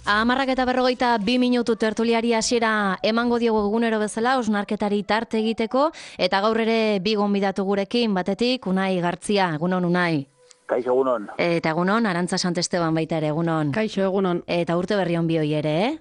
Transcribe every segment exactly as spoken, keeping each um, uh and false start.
Amarrak eta berrogeita bi minutu tertuliari hasiera emango diogu egunero bezala, osnarketari tarte egiteko, eta gaur ere bi gonbidatu gurekin, batetik Unai Gartzia, egunon Unai. Kaixo egunon. Eta egunon, Arantza Santesteban baita ere, egunon. Kaixo egunon. Eta urte berri on bioi ere, eh?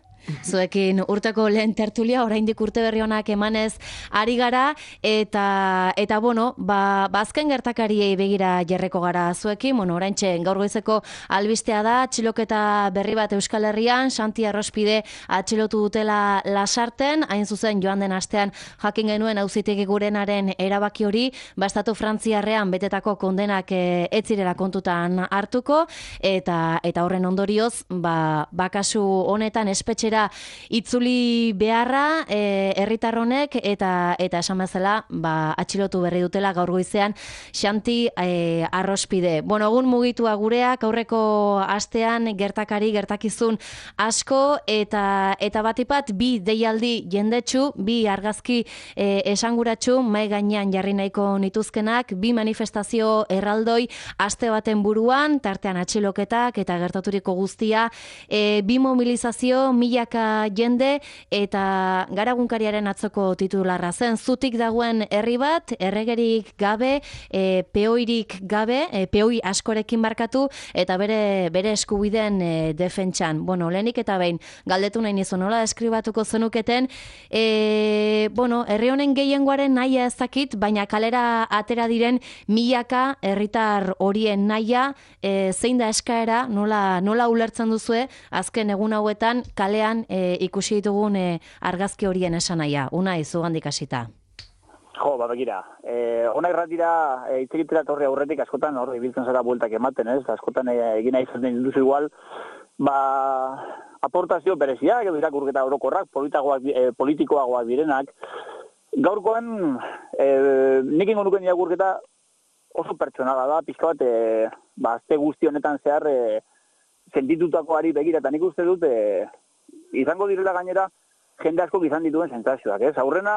Zuekin urteko lehen tertulia, oraindik urte berri onak emanez ari gara, eta, eta bueno, ba, bazken gertakariei begira jarreko gara zuekin, bueno, oraintxe gaur goizeko albistea da, atxiloketa berri bat Euskal Herrian, Santi Arrospide atxilotu dutela Lasarten, hain zuzen joan den astean jakin genuen auzitegi gurenaren erabaki hori, bastatu Frantziarrean betetako kondenak e, ez zirela kontutan hartuko, eta, eta horren ondorioz, ba, bakasu honetan espetxe itzuli beharra e, herritar honek eta eta esan bezala ba, atxilotu berri dutela gaur goizean Santi e, Arrospide. Bueno, egun mugitua gureak aurreko astean gertakari gertakizun asko eta eta batipat bi deialdi jendetsu, bi argazki e, esanguratsu mai gainean jarri nahiko nituzkenak, bi manifestazio erraldoi aste baten buruan, tartean atxiloketak eta gertaturiko guztia, e, bi mobilizazio mila jende eta Garagunkariaren atzoko titularra zen, zutik dagoen herri bat, erregerik gabe, e, peoirik gabe, e, peoi askorekin barkatu, eta bere bere eskubideen e, defentsan. Bueno, lehenik eta behin, galdetu nahi nizu, nola deskribatuko zenuketen, e, bueno, herri honen gehiengoaren nahia ezakit, baina kalera atera diren milaka herritar horien nahia, e, zein da eskaera, nola, nola ulertzen duzue, azken egun hauetan kalean E, ikusi ditugun e, argazki horien esanaia. Unai, zugandik hasita. Jo, ba, begira. E, ona irratira, e, itzegitera torri aurretik askotan hor ibiltzen zara bueltak ematen, ez? Askotan e, egin nahi zaten duzu igual, ba, aportazio bereziak, edo irakurketa orokorrak, politikoagoak, e, politikoagoak direnak. Gaurkoan, e, nik ingo nuken irakurketa oso pertsonala da, pixka bat, e, ba, azte guzti honetan zehar, e, sentitutakoari begira, eta nik uste dut, e, izango direla gainera, jende asko izan dituen sentsazioak, ez? Aurrena,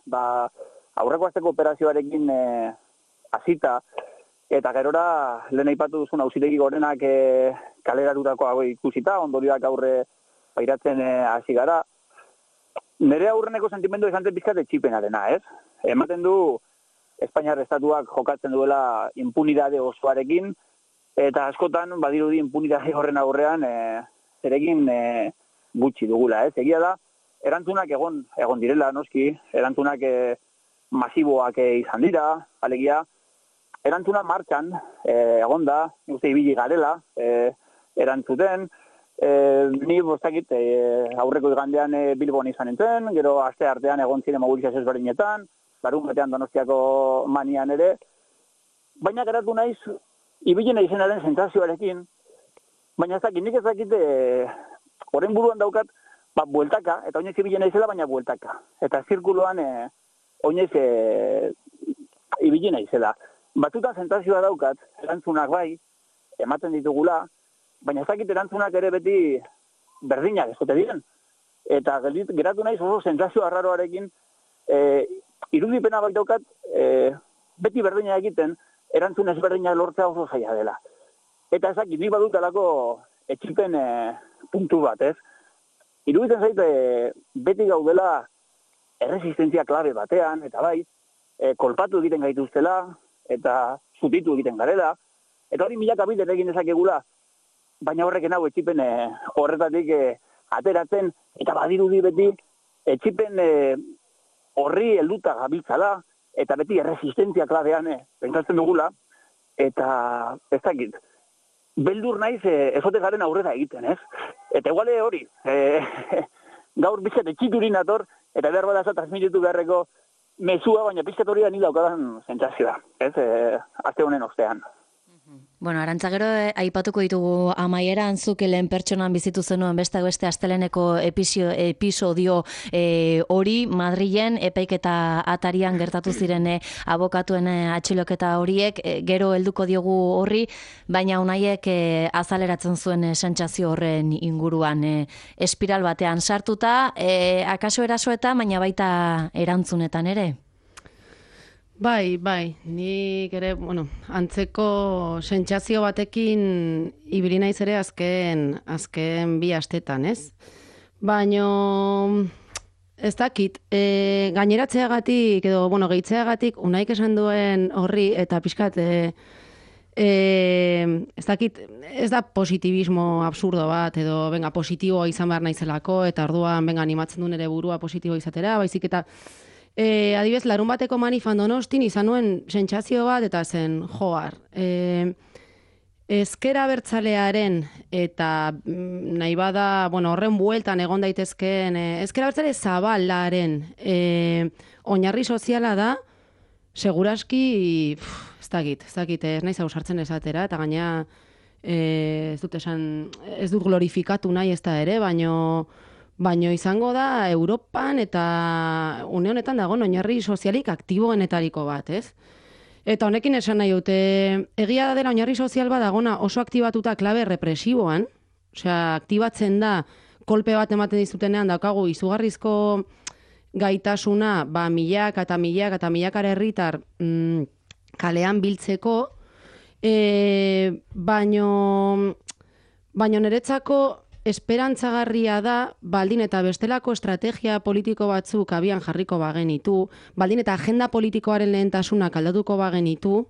ba, aurreko asteko operazioarekin e, hasita, eta gerora, lehen aipatu duzun auzitegi gorenak e, kaleratutako hau ikusita, ondorioak aurre pairatzen e, hasi gara. Nere aurreneko sentimendu izan zen pizkat etxipenarena, ez? Ematen du, Espainiar estatuak jokatzen duela impunidade osoarekin, eta askotan, badirudi impunidade horren aurrean, e, zerekin e, gutxi dugula, ez? Egia da, erantzunak egon egon direla, noski, erantzunak e, masiboak e, izan dira, alegia, erantzuna martxan e, egon da, uste ibili garela, e, erantzuten, e, ni bostakit e, aurreko igandean e, Bilbon izan nintzen, gero aste artean egon ziren mobilizazio ezberdinetan, larun batean Donostiako manian ere, baina geratu naiz, ibili naizenaren sentsazioarekin, baina ez dakit, nik ez dakit, e, horren buruan daukat, ba, bueltaka, eta oinez ibili naizela, baina bueltaka. Eta zirkuloan, e, oinez e, ibili naizela. Batzutan sentazioa daukat, erantzunak bai, ematen ditugula, baina ez dakit erantzunak ere beti berdinak ezote diren. Eta geratu naiz oso sentazioa arraroarekin, e, irudipena bai daukat, e, beti berdina egiten, erantzun ezberdinak lortzea oso zaila dela. Eta ez dakit, nik badutalako etxipen e, puntu bat, ez? Iruditzen zait, e, beti gaudela erresistentzia klabe batean, eta bai, e, kolpatu egiten gaituztela, eta zutitu egiten garela, eta hori milaka bider egin dezakegula, baina horreken hau etxipen e, horretatik e, ateratzen, eta badirudi beti, etxipen e, horri helduta gabiltzala, eta beti erresistentzia klabean e, pentsatzen dugula, eta ez dakit, beldur naiz e, ezote garen aurrera egiten, ez? Eta iguale hori, e, gaur bizkat etxiturin ator, eta behar bada transmititu beharreko mezua, baina bizkat hori da nila daukadan sentsazioa, ez? E, azte honen ostean. Bueno, Arantza, gero eh, aipatuko ditugu amaieran zuk lehen pertsonan bizitu zenuen beste beste asteleneko episio, episodio eh, hori Madrilen epaiketa atarian gertatu ziren eh, abokatuen eh, atxiloketa horiek, eh, gero helduko diogu horri, baina Unaiek eh, azaleratzen zuen eh, sentsazio horren inguruan eh, espiral batean sartuta, eh, akaso erasoetan, baina baita erantzunetan ere. Bai, bai, nik ere, bueno, antzeko sentsazio batekin ibili naiz ere azken, azken bi astetan, ez? Baino, ez dakit, e, gaineratzeagatik, edo, bueno, gehitzeagatik, unaik esan duen horri, eta pixkat, e, e, ez dakit, ez da positibismo absurdo bat, edo, venga, positiboa izan behar naizelako, eta orduan, venga, animatzen duen ere burua positibo izatera, baizik eta, E, adibez, larun bateko manifan Donostin izan nuen sentsazio bat eta zen joar. E, ezker abertzalearen eta nahi bada, bueno, horren bueltan egon daitezkeen, e, ezker abertzale zabalaren e, oinarri soziala da, seguraski, pff, ez dakit, ez dakit, ez naiz hau sartzen esatera, eta gaina e, ez dut esan, ez dut glorifikatu nahi ez da ere, baino Baino izango da Europan eta une honetan dago oinarri sozialik aktiboenetariko bat, ez? Eta honekin esan nahi dute, egia da dela oinarri sozial bat dagona oso aktibatuta klabe represiboan, osea, aktibatzen da kolpe bat ematen dizutenean daukagu izugarrizko gaitasuna, ba, milaka eta milaka eta milakara herritar mm, kalean biltzeko, e, baino, baino niretzako esperantzagarria da, baldin eta bestelako estrategia politiko batzuk abian jarriko bagenitu, baldin eta agenda politikoaren lehentasunak aldatuko bagenitu,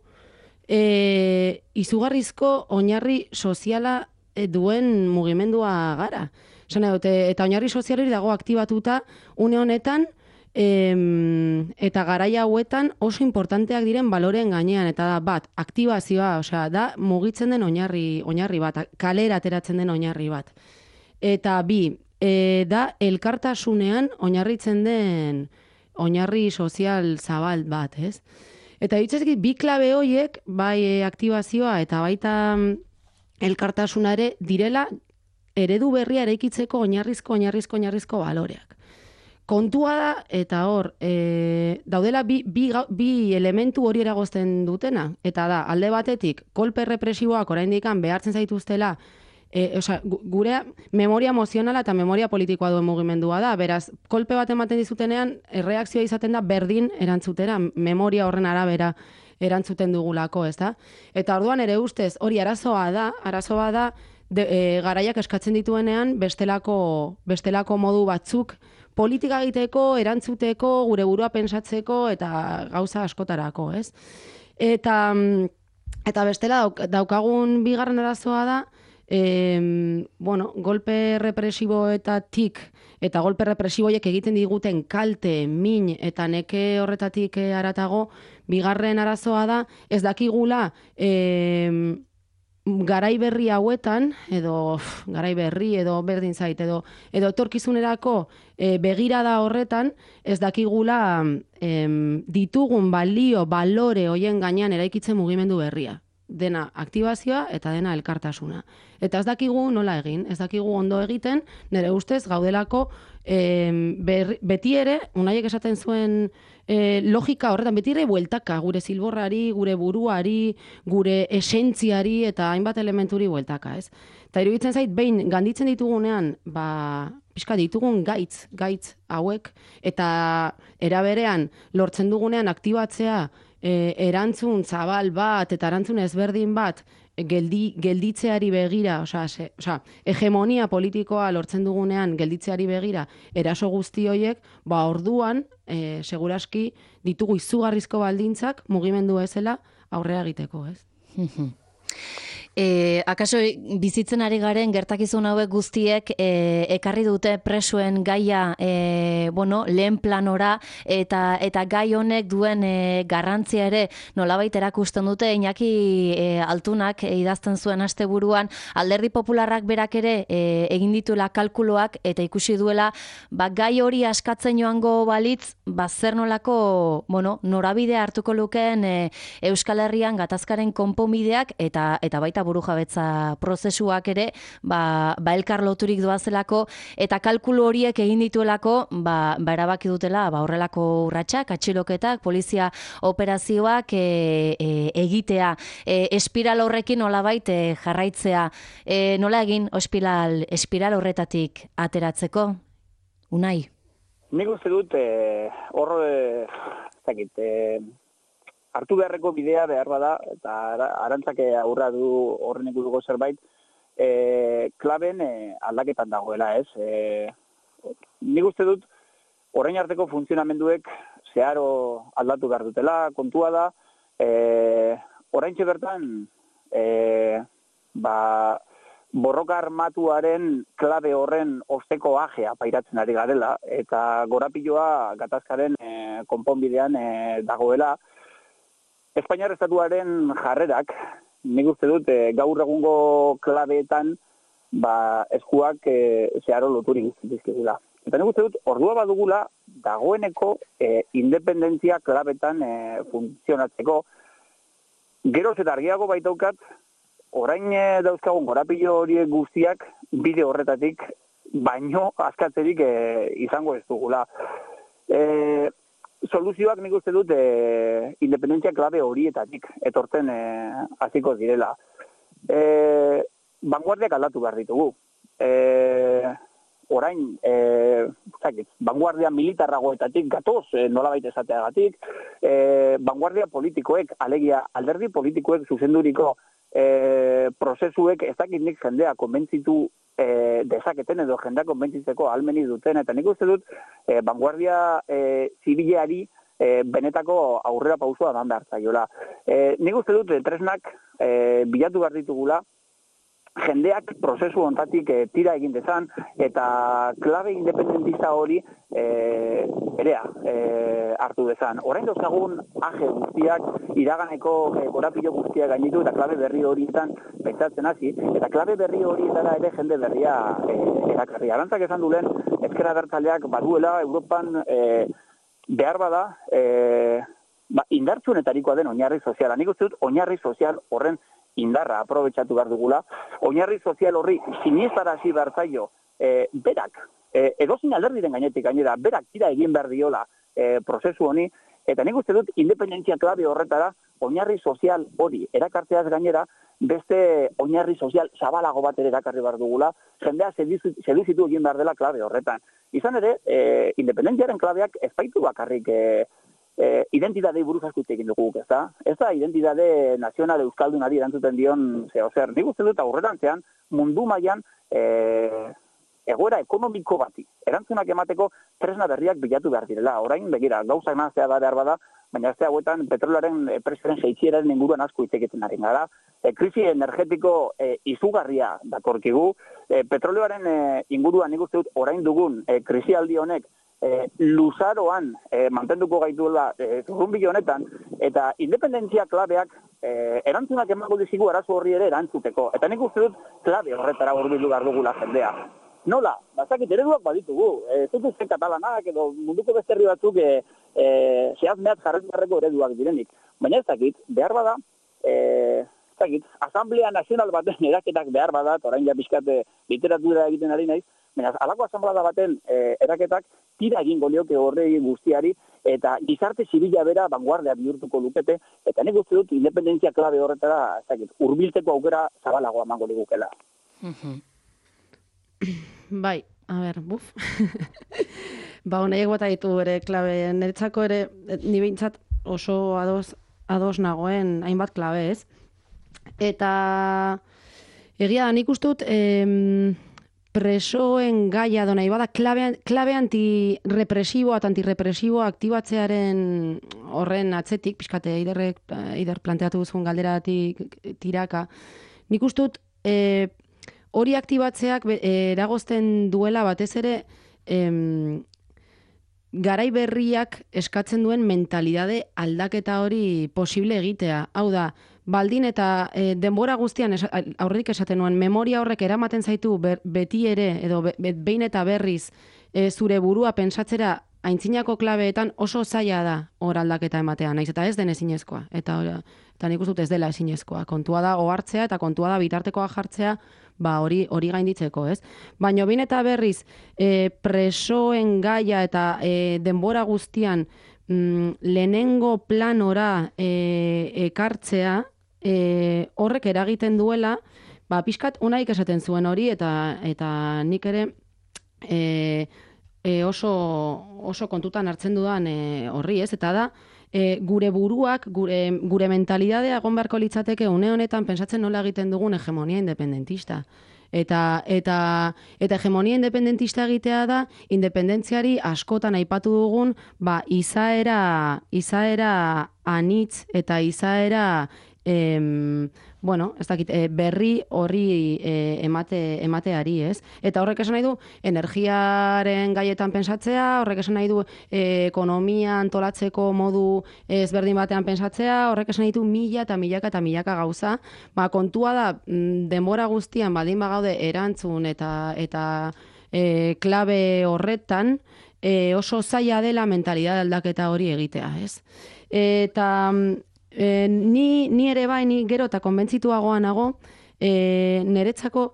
e, izugarrizko oinarri soziala duen mugimendua gara. Esan dute, eta oinarri sozialeri dago aktibatuta une honetan, em, eta garaia hauetan oso importanteak diren baloren gainean, eta da bat, aktibazioa, osea, da mugitzen den oinarri, oinarri bat, kalera ateratzen den oinarri bat. Eta bi, e, da elkartasunean oinarritzen den oinarri sozial zabal bat, ez? Eta ditzezkit, bi klabe horiek, bai e, aktibazioa eta baita elkartasuna ere, direla eredu berria eraikitzeko oinarrizko, oinarrizko, oinarrizko baloreak. Kontua da, eta hor, e, daudela bi, bi, bi elementu hori eragozten dutena, eta da, alde batetik, kolpe represiboak oraindikan behartzen zaituztela, E, osea, gure memoria emozionala eta memoria politikoa duen mugimendua da. Beraz, kolpe bat ematen dizutenean, erreakzioa izaten da berdin erantzutera, memoria horren arabera erantzuten dugulako, ez da? Eta orduan ere ustez, hori arazoa da, arazoa da, de, e, garaiak eskatzen dituenean bestelako, bestelako modu batzuk politika egiteko, erantzuteko, gure burua pentsatzeko eta gauza askotarako, ez? Eta, eta bestela daukagun bigarren arazoa da, E, bueno, golpe represiboetatik eta golpe represiboiek egiten diguten kalte, min eta neke horretatik haratago, bigarren arazoa da, ez dakigula e, garai berri hauetan, edo garai berri, edo berdin zait, edo, edo etorkizunerako e, begirada horretan, ez dakigula e, ditugun balio, balore hoien gainean eraikitzen mugimendu berria. Dena aktibazioa eta dena elkartasuna. Eta ez dakigu nola egin, ez dakigu ondo egiten, nire ustez gaudelako e, ber, beti ere, unaiek esaten zuen e, logika horretan, beti ere bueltaka, gure zilborrari, gure buruari, gure esentziari eta hainbat elementuri bueltaka, ez? Eta iruditzen zait, behin ganditzen ditugunean, ba, pixka ditugun gaitz, gaitz hauek, eta eraberean lortzen dugunean aktibatzea E, erantzun zabal bat eta erantzun ezberdin bat geldi, gelditzeari begira, osea, se, osea, hegemonia politikoa lortzen dugunean gelditzeari begira eraso guzti horiek, ba orduan e, seguraski ditugu izugarrizko baldintzak mugimendu bezala aurrea egiteko, ez? E, akaso bizitzen ari garen gertakizun hauek guztiek e, ekarri dute presuen gaia e, bueno, lehen planora eta eta gai honek duen e, garrantzia ere nolabait erakusten dute. Iñaki e, Altunak e, idazten zuen asteburuan Alderdi Popularrak berak ere e, egin dituela kalkuloak eta ikusi duela ba, gai hori askatzen joango balitz ba, zer nolako bueno, norabide hartuko lukeen e, Euskal Herrian gatazkaren konponbideak eta eta baita burujabetza prozesuak ere ba, ba elkar loturik doazelako eta kalkulu horiek egin dituelako ba, ba erabaki dutela ba horrelako urratsak, atxiloketak, polizia operazioak e, e, egitea, e, espiral horrekin nolabait e, jarraitzea. E, nola egin espiral, espiral horretatik ateratzeko? Unai? Nik uste dut, hor, e, zakit, e, hartu beharreko bidea behar bada, eta arantzake aurra du horren inguruko zerbait, e, klaben e, aldaketan dagoela, ez? E, nik uste dut, orain arteko funtzionamenduek zeharo aldatu behar dutela, kontua da, e, oraintxe bertan, e, ba, borroka armatuaren klabe horren osteko ajea pairatzen ari garela, eta gorapiloa gatazkaren e, konponbidean e, dagoela. Espainiar estatuaren jarrerak, nik uste dut, e, gaur egungo klabeetan ba, eskuak e, zeharo loturik dizkigula. Eta nik uste dut, ordua badugula, dagoeneko e, independentzia klabetan e, funtzionatzeko. Geroz eta argiago baitaukat, orain e, dauzkagun gorapilo horiek guztiak bide horretatik baino askatzerik e, izango ez dugula. E, soluzioak nik uste dut e, independentzia klabe horietatik etortzen e, hasiko direla. E, vanguardiak aldatu behar ditugu. E, orain, e, zakit, vanguardia militarragoetatik gatoz e, nolabait esateagatik, e, vanguardia politikoek, alegia alderdi politikoek zuzenduriko E, prozesuek ez dakit nik jendea konbentzitu e, dezaketen edo jendea konbentzitzeko ahalmeni duten, eta nik uste dut e, vanguardia e, zibileari e, benetako aurrera pausua eman behar zaiola. E, nik uste dut e, tresnak e, bilatu behar ditugula, jendeak prozesu hontatik e, tira egin dezan, eta klabe independentista hori e, berea e, hartu dezan. Orain dauzkagun aje guztiak, iraganeko e, gorapilo guztiak gainitu, eta klabe berri horietan pentsatzen hasi, eta klabe berri horietara ere jende berria e, erakarri. Arantzak esan duen, ezker abertzaleak baduela Europan e, behar bada e, ba, indartsunetarikoa den oinarri soziala. Nik uste dut oinarri sozial horren indarra aprobetxatu behar dugula, oinarri sozial horri sinistarazi behar zaio, e, berak, e, edozin alderdiren gainetik gainera, berak tira egin behar diola e, prozesu honi, eta nik uste dut independentzia klabe horretara, oinarri sozial hori erakartzeaz gainera, beste oinarri sozial zabalago bat ere erakarri behar dugula, jendea seduzitu egin behar dela klabe horretan. Izan ere, e, independentziaren klabeak ez baitu bakarrik e, E, identidadei buruz asko hitz egin dugu, ez da? Ez da identidade nazional euskaldunari erantzuten dion zeo zer. Nik uste dut aurrerantzean mundu mailan e, egoera ekonomiko bati erantzunak emateko tresna berriak bilatu behar direla. Orain begira, gauza emanzea da behar bada, baina ez da hauetan petrolaren prezioaren jaitsieraren inguruan asko hitz egiten ari gara. E, krisi energetiko e, izugarria datorkigu. E, petroleoaren e, inguruan nik uste dut orain dugun e, krisialdi honek E, luzaroan e, mantenduko gaituela e, zurrunbilo honetan, eta independentzia klabeak e, erantzunak emango dizigu arazo horri ere erantzuteko. Eta nik uste dut klabe horretara hurbildu behar dugula jendea. Nola? Bazakit ereduak baditugu. Ez dut uste katalanak edo munduko beste herri batzuk e, e, zehaz mehat jarretu beharreko ereduak direnik. Baina ez dakit, behar bada, e, ez dakit, Asamblea Nazional baten eraketak behar bada, orain ja pixkate literatura egiten ari naiz, baina alako asamblea baten e, eraketak tira egingo lioke horrei guztiari, eta gizarte zibila bera vanguardia bihurtuko lukete, eta nik uste dut independentzia klabe horretara, ez dakit, hurbiltzeko aukera zabalagoa emango ligukela. Bai, a ber, buf. Ba, honaiek bota ditu ere klabe, niretzako ere, ni behintzat oso ados, ados nagoen hainbat klabe, ez? Eta egia da, nik uste dut, em, presoen gaia do nahi bada, klabe, klabe antirepresiboa eta antirepresiboa aktibatzearen horren atzetik, pixkate, eiderrek, eider planteatu duzun galderatik tiraka, nik uste dut e, hori aktibatzeak e, eragozten duela batez ere em, garai berriak eskatzen duen mentalidade aldaketa hori posible egitea. Hau da, baldin eta e, denbora guztian esa, aurretik esaten nuen, memoria horrek eramaten zaitu ber, beti ere, edo be, be, behin eta berriz e, zure burua pentsatzera aintzinako klabeetan oso zaila da hor aldaketa ematea, naiz eta ez den ezinezkoa. Eta, eta nik uste dut ez dela ezinezkoa. Kontua da ohartzea eta kontua da bitartekoa jartzea, ba hori hori gainditzeko, ez? Baina behin eta berriz e, presoen gaia eta e, denbora guztian mm, lehenengo planora e, ekartzea, E, horrek eragiten duela, ba, pixkat unaik esaten zuen hori, eta eta nik ere e, e, oso, oso kontutan hartzen dudan e, horri, ez? Eta da, e, gure buruak, gure, gure mentalidadea egon beharko litzateke une honetan pensatzen nola egiten dugun hegemonia independentista. Eta, eta, eta hegemonia independentista egitea da, independentziari askotan aipatu dugun, ba, izaera, izaera anitz eta izaera, em, bueno, ez dakit, e, berri horri e, emate, emateari, ez? Eta horrek esan nahi du, energiaren gaietan pensatzea, horrek esan nahi du e, ekonomia antolatzeko modu ezberdin batean pensatzea, horrek esan nahi du mila eta milaka eta milaka gauza. Ba, kontua da, denbora guztian baldin bagaude erantzun eta, eta e, klabe horretan, e, oso zaila dela mentalidad aldaketa hori egitea, ez? Eta E, ni, ni ere bai, ni gero eta konbentzituagoa nago, e, niretzako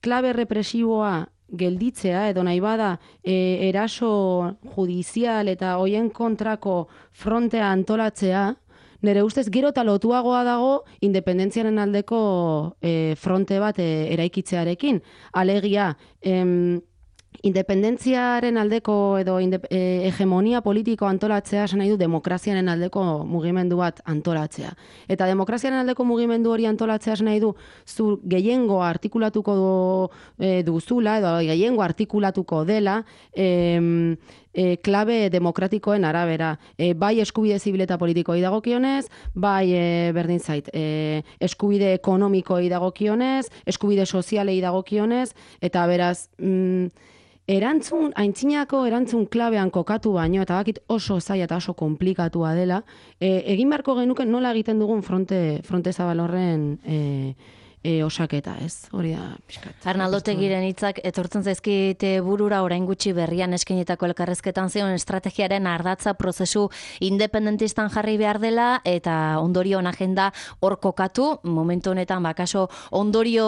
klabe represiboa gelditzea, edo nahi bada e, eraso judizial eta hoien kontrako frontea antolatzea, nire ustez gero eta lotuagoa dago independentziaren aldeko e, fronte bat e, eraikitzearekin. Alegia, em, independentziaren aldeko edo indep, e, hegemonia politiko antolatzea esan nahi du demokraziaren aldeko mugimendu bat antolatzea. Eta demokraziaren aldeko mugimendu hori antolatzea esan nahi du zu gehiengo artikulatuko e, duzula edo gehiengo artikulatuko dela e, e, klabe demokratikoen arabera. E, bai eskubide zibil eta politikoi dagokionez, bai e, berdin zait, e, eskubide ekonomikoi dagokionez, eskubide sozialei dagokionez, eta beraz, mm, erantzun, aintzinako erantzun klabean kokatu baino, eta bakit oso zaila eta oso komplikatua dela, e, egin beharko genuke nola egiten dugun fronte, fronte zabal horren e, e, osaketa, ez? Hori da, pixkat. Arnaldo Otegiren hitzak etortzen zaizkite burura orain gutxi berrian eskainitako elkarrezketan zion estrategiaren ardatza prozesu independentistan jarri behar dela eta ondorioen agenda hor kokatu, momentu honetan bakaso ondorio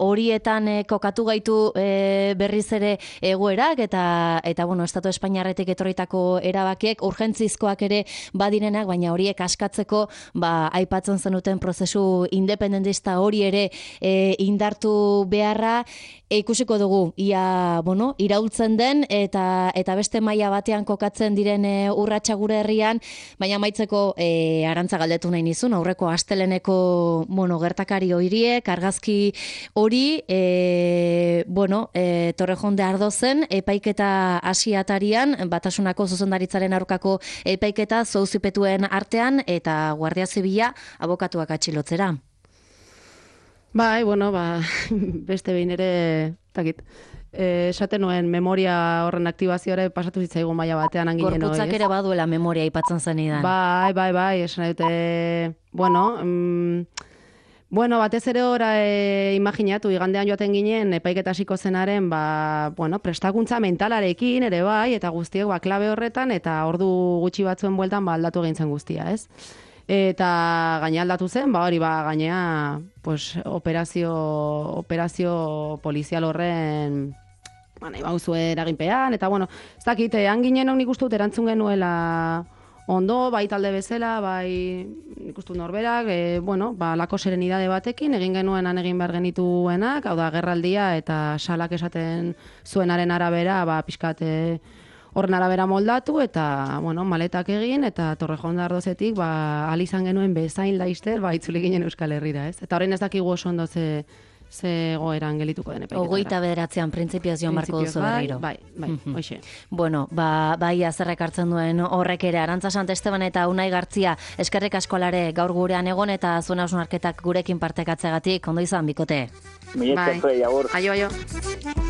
horietan eh, kokatu gaitu eh, berriz ere egoerak eta eta bueno, Estatu Espainiarretik etorritako erabakiek urgentzizkoak ere badirenak, baina horiek askatzeko ba aipatzen zenuten prozesu independentista hori ere E, indartu beharra e, ikusiko dugu ia bueno, iraultzen den eta eta beste maila batean kokatzen diren e, urratsa gure herrian, baina amaitzeko e, Arantza galdetu nahi nizun aurreko asteleneko bueno, gertakari horiek argazki hori e, bueno, e, Torrejon de Ardozen epaiketa hasiatarian Batasunako zuzendaritzaren aurkako epaiketa zouzipetuen artean eta Guardia Zibila abokatuak atxilotzera. Bai, bueno, ba, beste behin ere, takit, esaten nuen memoria horren aktibazioare pasatu zitzaigun maila batean anginen hori. Gorputzak ere baduela memoria aipatzen zenidan. Bai, bai, bai, esan dute, bueno, mm, bueno, batez ere ora e, imaginatu, igandean joaten ginen, epaiketa hasiko zenaren, ba, bueno, prestakuntza mentalarekin ere bai, eta guztiek ba, klabe horretan, eta ordu gutxi batzuen bueltan ba, aldatu egin zen guztia, ez? Eta gaina aldatu zen, ba hori ba gaina pues, operazio, operazio polizial horren ba, nahi bauzue eraginpean, eta bueno, ez dakit, hanginen nik uste dut erantzun genuela ondo, bai talde bezala, bai nik uste dut norberak, e, bueno, ba, lako serenidade batekin, egin genuenan egin behar genituenak, hau da, gerraldia eta salak esaten zuenaren arabera, ba, pixkat, horren arabera moldatu eta, bueno, maletak egin eta Torrejon de Ardozetik, ba, ahal izan genuen bezain laister, ba, itzuli ginen Euskal Herrira, ez? Eta horrein ez dakigu oso ondo ze, ze goeran gelituko den epaiketara. Ogoita bederatzean printzipioz joan barko duzu berriro. Bai, bai, bai, hoxe. Bueno, ba, bai azerrek hartzen duen horrek ere, Arantza Santesteban eta Unai Gartzia, eskerrik askolare gaur gurean egon eta zuen hausnarketak gurekin partekatzegatik, ondo izan, bikote. Mila esker, agur. Aio, aio.